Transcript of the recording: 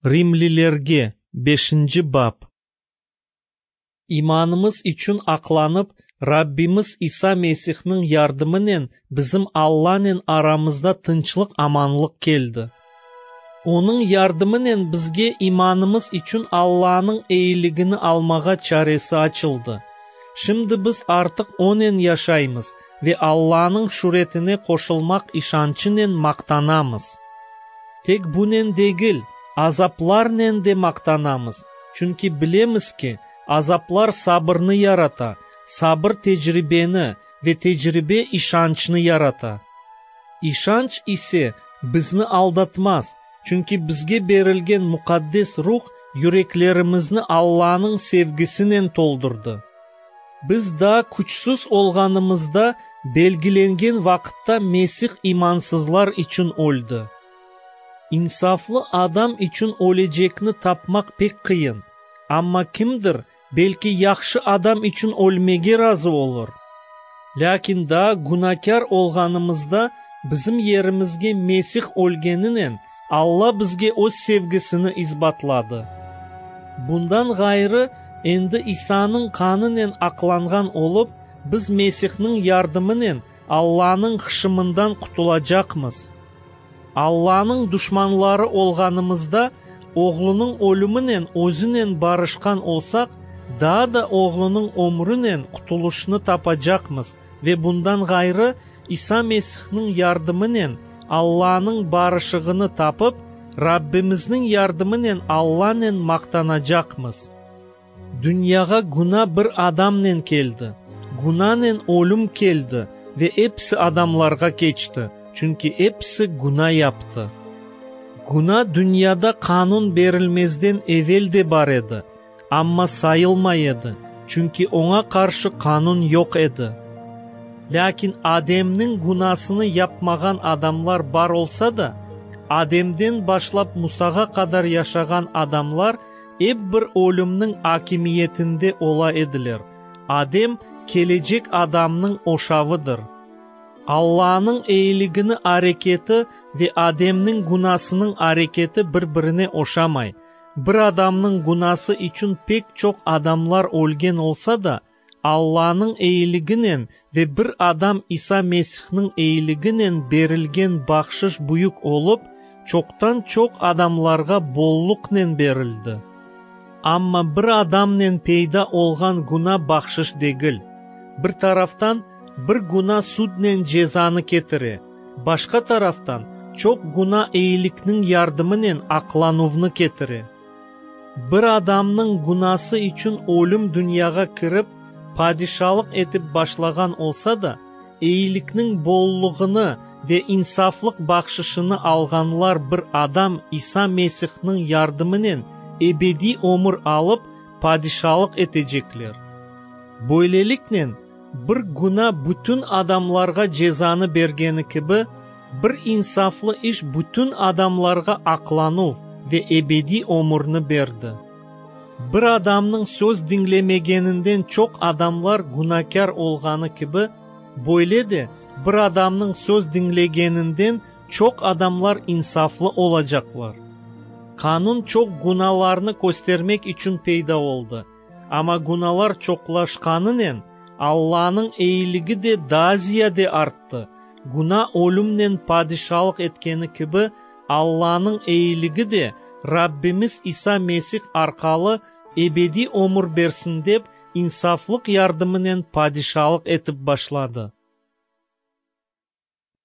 Rimlilerge, beşinci bap. İmanımız içün aqlanıp, Rabbimiz İsa Mesihniñ yardımınen bizim Allanen aramızda tınçlıq-amanlıq keldi. Onıñ yardımınen bizge imanımız içün Allanıñ eyiligini almağa çaresi açıldı. Şimdi biz artıq Onen yaşaymız ve Allanıñ şüretine qoşulmaq işançınen maqtanamız. Tek bunen degil, azaplarnen de maqtanamız, çünki bilemiz ki, azaplar sabırnı yarata, sabır tecribeni ve tecribe işançnı yarata. İşanç ise bizni aldatmaz, çünki bizge berilgen Muqaddes Ruh yüreklerimizni Allanıñ sevgisinen toldurdı. Biz daa küçsüz olğanımızda, belgilengen vaqıtta Mesih imansızlar içün öldi. İnsaflı adam içün ölecekni tapmaq pek qıyın, amma kimdir, belki yahşı adam içün ölmege razı olur. Lâkin daa günakâr olğanımızda bizim yerimizge Mesih ölgeninen Alla bizge Öz sevgisini isbatladı. Bundan ğayrı, endi İsanıñ qanınen aqlanğan olıp, biz Mesihniñ yardımınen Allanıñ hışımından qutulacaqmız. Allanıñ duşmanları olğanımızda, Oğlunıñ ölüminen Özünen barışqan olsaq, daa da Oğlunıñ ömrünen qutulışnı tapacaqmız ve bundan ğayrı, İsa Mesihniñ yardımınen Allanıñ barışığını tapıp, Rabbimizniñ yardımınen Allanen maqtanacaqmız. Dünyağa güna bir adamnen keldi, günanen ölüm keldi ve episi adamlarğa keçti, çünki episi güna yaptı. Güna dünyada qanun berilmezden evel de bar edi, amma sayılmay edi, çünki oña qarşı qanun yoq edi. Lâkin Ademniñ günasını yapmağan adamlar bar olsa da, Ademden başlap Musağa qadar yaşağan adamlar ep bir ölümniñ akimiyetinde ola ediler. Adem, kelecek adamnıñ oşavıdır. Allanıñ eyiligini areketi ve Ademniñ günasınıñ areketi bir-birine oşamay. Bir adamnıñ günası içün pek çoq adamlar ölgen olsa da, Allanıñ eyiliginen ve bir adam İsa Mesihniñ eyiliginen berilgen bahşış büyük olıp, çoqtan-çoq adamlarğa bolluqnen berildi. Amma bir adamnen peyda olğan güna bahşış degil. Bir taraftan, bir güna sudnen cezanı ketire, başqa taraftan, çoq güna eyilikniñ yardımınen aqlanuvnı ketire. Bir adamnıñ günası içün ölüm dünyağa kirip, padişalıq etip başlağan olsa da, eyilikniñ bolluğını ve insaflıq bahşışını alğanlar bir adam İsa Mesihniñ yardımınen ebediy ömür alıp, padişalıq etecekler. Böyleliknen, bir güna bütün adamlarğa cezanı bergeni kibi, bir insaflı iş bütün adamlarğa aqlanuv ve ebediy ömürni berdi. Bir adamnıñ söz diñlemegeninden çoq adamlar günakâr olğanı kibi, böyle de bir adamnıñ söz diñlegeninden çoq adamlar insaflı olacaqlar. Qanun çoq günalarnı köstermek içün peyda oldı, amma günalar çoqlaşqanınen, Allanıñ eyiligi de daa ziyade arttı, güna ölümnen padişalıq etkeni kibi, Allanıñ eyiligi de Rabbimiz İsa Mesih arqalı ebediy ömür bersin dep, insaflıq yardımınen padişalıq etip başladı.